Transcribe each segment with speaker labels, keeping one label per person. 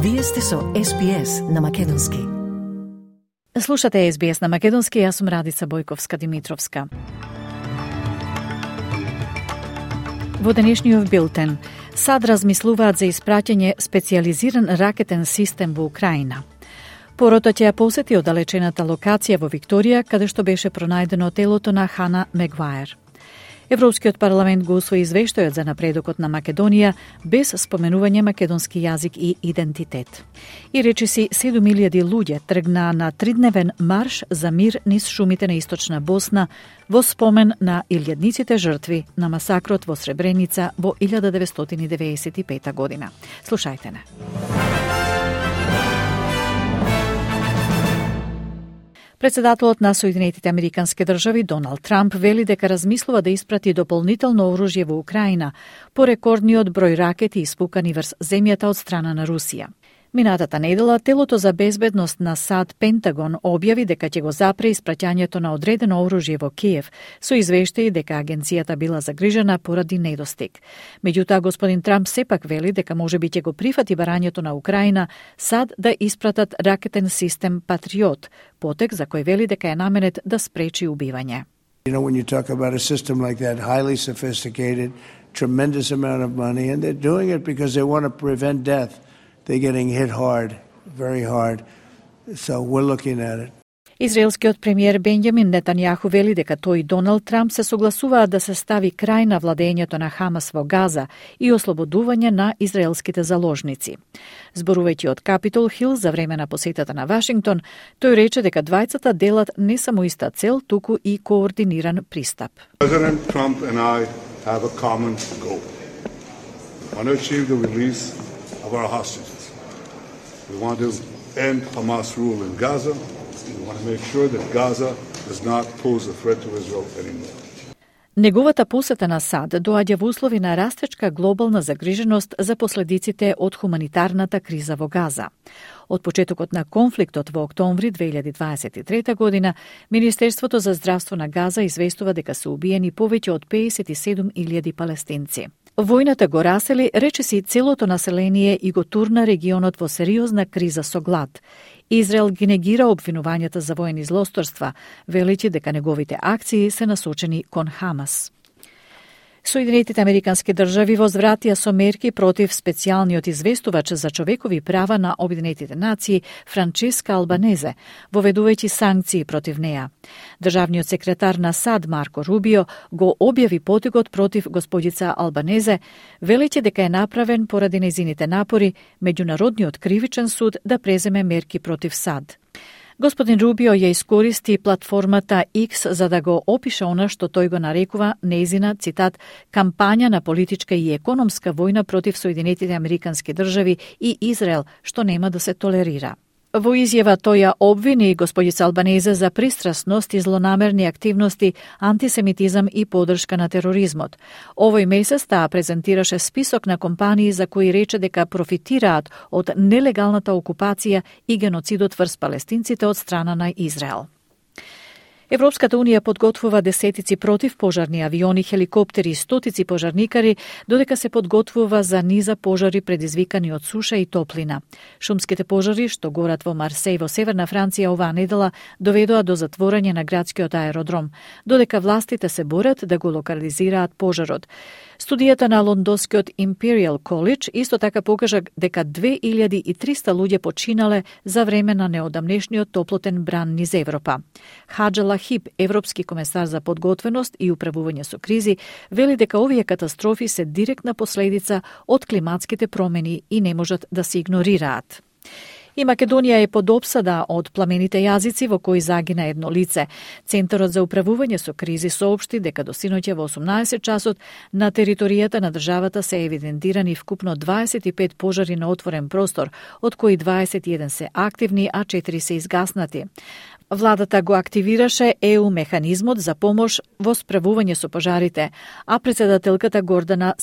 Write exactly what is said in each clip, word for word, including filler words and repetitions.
Speaker 1: Вие сте со Ес Би Ес на Македонски.
Speaker 2: Слушате Ес Би Ес на Македонски, јас сум Радица Бојковска-Димитровска. Во денешниот билтен, САД размислуваат за испраќање специјализиран ракетен систем во Украина. Порото ќе ја посети оддалечената локација во Викторија, каде што беше пронајдено телото на Хана Мегваер. Европскиот парламент го усвои извештајот за напредокот на Македонија без споменување македонски јазик и идентитет. И речиси седум илјади луѓе тргнаа на тридневен марш за мир низ шумите на источна Босна во спомен на илјадниците жртви на масакрот во Сребреница во илјада деветстотини деветдесет и пета година. Слушајте не. Председателот на Соединетите Американски држави Доналд Трамп вели дека размислува да испрати дополнително оружје во Украина по рекордниот број ракети испукани врз земјата од страна на Русија. Минатата недела, телото за безбедност на САД Пентагон објави дека ќе го запре испраќањето на одредено оружје во Киев, со извештаи дека агенцијата била загрижена поради недостиг. Меѓутоа, господин Трамп сепак вели дека можеби ќе го прифати барањето на Украина САД да испратат ракетен систем Патриот, потек за кој вели дека е наменет да спречи убивање.
Speaker 3: You know, when you talk about a system like that, highly sophisticated, tremendous amount of money, and they're doing it because they want to prevent death. They're getting hit hard, very hard. So we're looking at it.
Speaker 2: Израелскиот премиер Бенјамин Нетањаху вели дека тој и Доналд Трамп се согласуваат да се стави крај на владењето на Хамас во Газа и ослободување на израелските заложници. Зборувајќи од Капитол Хил за време на посетата на Вашингтон, тој рече дека двајцата делат не само иста цел, туку и координиран пристап.
Speaker 4: President Trump and I have a common goal. We want to achieve the release of our hostages. We want to end Hamas rule in Gaza. We want to make sure that Gaza does not pose a threat to Israel anymore.
Speaker 2: Неговата посета на САД доаѓа во услови на растечка глобална загриженост за последиците од хуманитарната криза во Газа. Од почетокот на конфликтот во октомври две илјади дваесет и трета година, Министерството за здравство на Газа известува дека се убиени повеќе од педесет и седум илјади палестинци. Војната го расели, речиси целото население и го турна регионот во сериозна криза со глад. Израел ги негира обвинувањата за воени злосторства, велејќи дека неговите акции се насочени кон Хамас. Соединетите Американски држави возвратија со мерки против специјалниот известувач за човекови права на Обединетите нации Франческа Албанезе, воведувајќи санкции против неа. Државниот секретар на САД Марко Рубио го објави потигот против господица Албанезе, велејќи дека е направен поради нејзините напори Меѓународниот кривичен суд да преземе мерки против САД. Господин Рубио ја искористи платформата X за да го опише она што тој го нарекува нејзина, цитат, кампања на политичка и економска војна против Соединетите Американски држави и Израел, што нема да се толерира. Во изјава тој ја обвини господица Албанезе за пристрасност и злонамерни активности, антисемитизам и поддршка на тероризмот. Овој месец таа презентираше список на компании за кои рече дека профитираат од нелегалната окупација и геноцидот врз палестинците од страна на Израел. Европската унија подготвува десетици противпожарни авиони, хеликоптери и стотици пожарникари, додека се подготвува за низа пожари предизвикани од суша и топлина. Шумските пожари што горат во Марсеј во северна Франција оваа недела доведоа до затворање на градскиот аеродром, додека властите се борат да го локализираат пожарот. Студијата на лондонскиот Imperial College исто така покажа дека две илјади и триста луѓе починале за време на неодамнешниот топлотен бран низ Европа. Хаџа Лахиб, европски комесар за подготвеност и управување со кризи, вели дека овие катастрофи се директна последица од климатските промени и не можат да се игнорираат. И Македонија е под опсада од пламените јазици во кои загина едно лице. Центарот за управување со кризи соопшти дека до синоќа во осумнаесет часот на територијата на државата се евидентирани вкупно дваесет и пет пожари на отворен простор, од кои дваесет и еден се активни, а четири се изгаснати. Владата го активираше Е У механизмот за помош во справување со пожарите, а председателката Гордана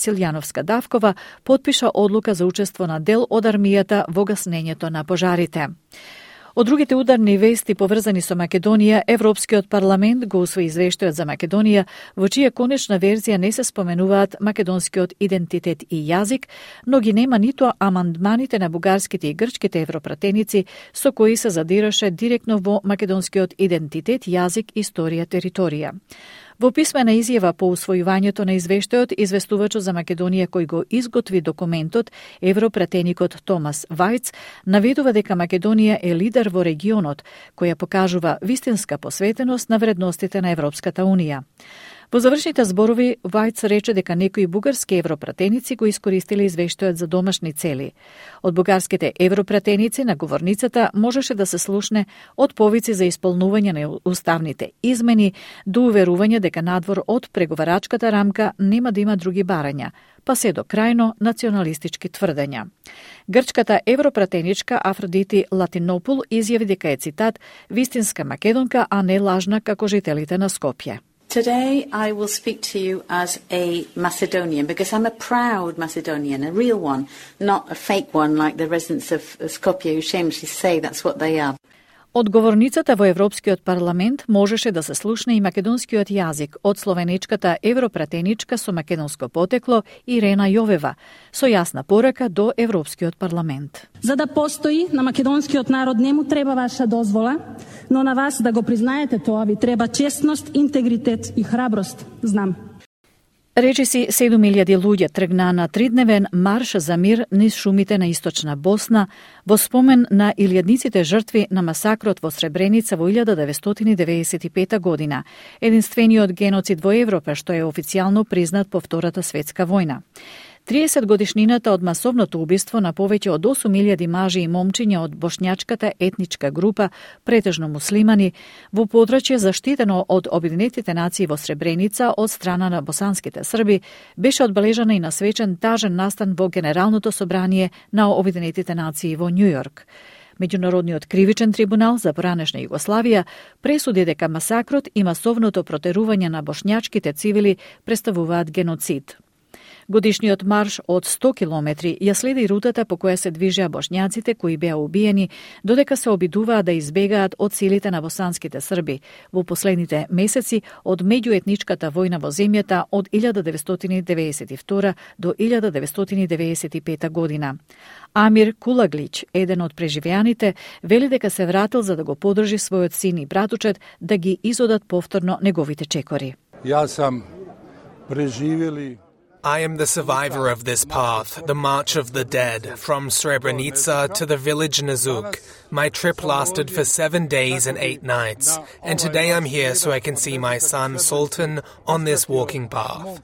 Speaker 2: Од другите ударни вести поврзани со Македонија, Европскиот парламент го усвои извештајот за Македонија, во чија конечна верзија не се споменуваат македонскиот идентитет и јазик, но ги нема ниту амандманите на бугарските и грчките европратеници со кои се задираше директно во македонскиот идентитет, јазик, историја, територија. Во писмена изјава по усвојувањето на извештајот, известувачот за Македонија кој го изготви документот, европратеникот Томас Вајц, наведува дека Македонија е лидер во регионот, која покажува вистинска посветеност на вредностите на Европската Унија. Во завршните зборови, Вајц рече дека некои бугарски европратеници го искористиле извештајот за домашни цели. Од бугарските европратеници на говорницата можеше да се слушне од повици за исполнување на уставните измени до уверување дека надвор од преговарачката рамка нема да има други барања, па се до крајно националистички тврдења. Грчката европратеничка Афродити Латинопул изјави дека е, цитат, вистинска македонка, а не лажна како жителите на Скопје.
Speaker 5: Today I will speak to you as a Macedonian because I'm a proud Macedonian, a real one, not a fake one like the residents of Skopje who shamelessly say that's what they are.
Speaker 2: Од говорницата во Европскиот парламент можеше да се слушне и македонскиот јазик од словенечката европратеничка со македонско потекло Ирена Јовева, со јасна порака до Европскиот парламент.
Speaker 6: За да постои на македонскиот народ не му треба ваша дозвола, но на вас да го признаете тоа ви треба честност, интегритет и храброст, знам.
Speaker 2: Речиси седум илјади луѓе тргнаа на тридневен марш за мир низ шумите на источна Босна во спомен на илјадниците жртви на масакрот во Сребреница во илјада деветстотини деветдесет и пета година, единствениот геноцид во Европа што е официјално признат по Втората светска војна. триесет годишнината од масовното убиство на повеќе од осум илјади мажи и момчиња од бошњачката етничка група, претежно муслимани, во подрачје заштитено од Обединетите нации во Сребреница од страна на босанските срби, беше одбележана и на свечен тажен настан во Генералното собрание на Обединетите нации во Њујорк. Меѓународниот кривичен трибунал за поранешна Југославија пресуди дека масакрот и масовното протерување на бошњачките цивили представуваат геноцид. Годишниот марш од сто километри ја следи рутата по која се движеа бошњаците кои беа убиени, додека се обидуваа да избегаат од силите на босанските срби во последните месеци од меѓуетничката војна во земјата од илјада деветстотини деветдесет и втора до илјада деветстотини деветдесет и пета година. Амир Кулаглич, еден од преживеаните, вели дека се вратил за да го подржи својот син и братучет да ги изодат повторно неговите чекори.
Speaker 7: Јас сам преживели
Speaker 8: I am the survivor of this path, the March of the Dead, from Srebrenica to the village Nazuk. My trip lasted for seven days and eight nights, and today I'm here so I can see my son Sultan on this walking path.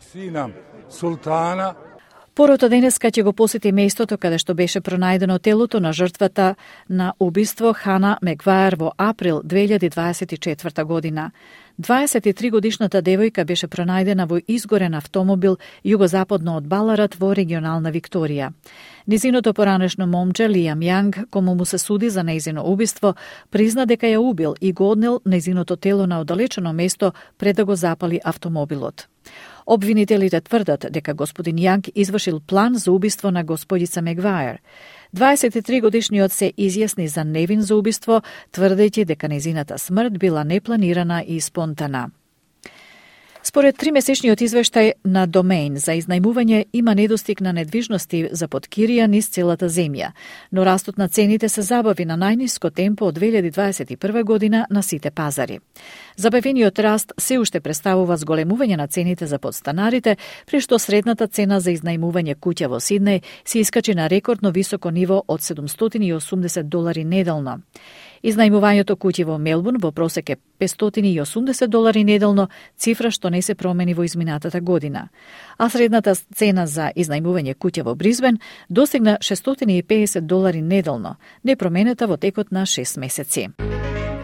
Speaker 2: Порото денеска ќе го посети местото каде што беше пронајдено телото на жртвата на убиство Хана Мегваер во април две илјади дваесет и четврта година. дваесет и три годишната девојка беше пронајдена во изгорен автомобил југозападно од Баларат во регионална Викторија. Низиното поранешно момче Лиам Јанг, кому му се суди за нејзино убиство, призна дека ја убил и го однел нејзиното тело на оддалечено место пред да го запали автомобилот. Обвинителите тврдат дека господин Јанг извршил план за убиство на господица Мегваер. дваесет и три годишниот се изјасни за невин за убиство, тврдејќи дека нејзината смрт била непланирана и спонтана. Според тримесечниот извештај на Домеин за изнајмување има недостиг на недвижности за поткирија низ целата земја, но растот на цените се забави на најниско темпо од две илјади дваесет и прва година на сите пазари. Забавениот раст се уште представува зголемување на цените за подстанарите, при што средната цена за изнајмување куќа во Сиднеј се искачи на рекордно високо ниво од седумстотини и осумдесет долари неделно. Изнајмувањето куќи во Мелбурн во просек е петстотини и осумдесет долари неделно, цифра што не се промени во изминатата година. А средната цена за изнајмување куќа во Бризбен достигна шестстотини и педесет долари неделно, непроменета во текот на шест месеци.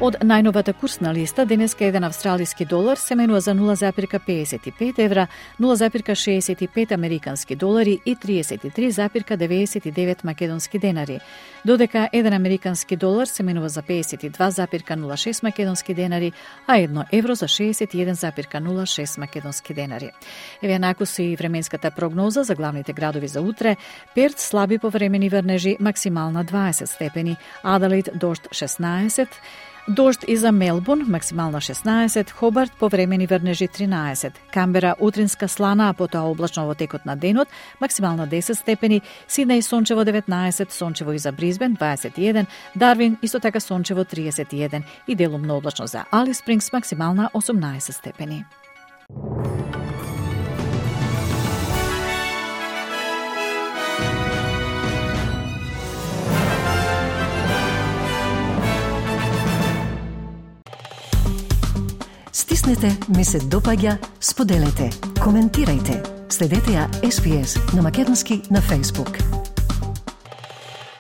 Speaker 2: Од најновата курсна листа, денеска еден австралиски долар се менува за нула запирка педесет и пет евра, нула запирка шеесет и пет американски долари и триесет и три запирка деветдесет и девет македонски денари, додека еден американски долар се менува за педесет и два запирка нула шест македонски денари, а едно евро за шеесет и еден запирка нула шест македонски денари. Еве наку се и временската прогноза за главните градови за утре. Перт слаби повремени врнежи, максимална дваесет степени, Аделаид дожд шеснаесет, дожд и за Мелбурн, максимална шеснаесет, Хобарт повремени врнежи тринаесет, Камбера утринска слана, а потоа облачно во текот на денот, максимална десет степени, Сиднеј сончево деветнаесет, сончево и за Бризбен дваесет и еден, Дарвин исто така сончево триесет и еден и делумно облачно за Алис Спрингс, максимална осумнаесет степени.
Speaker 1: Стиснете, ми се допаѓа, споделете, коментирајте. Следете ја Ес Би Ес на македонски на Facebook.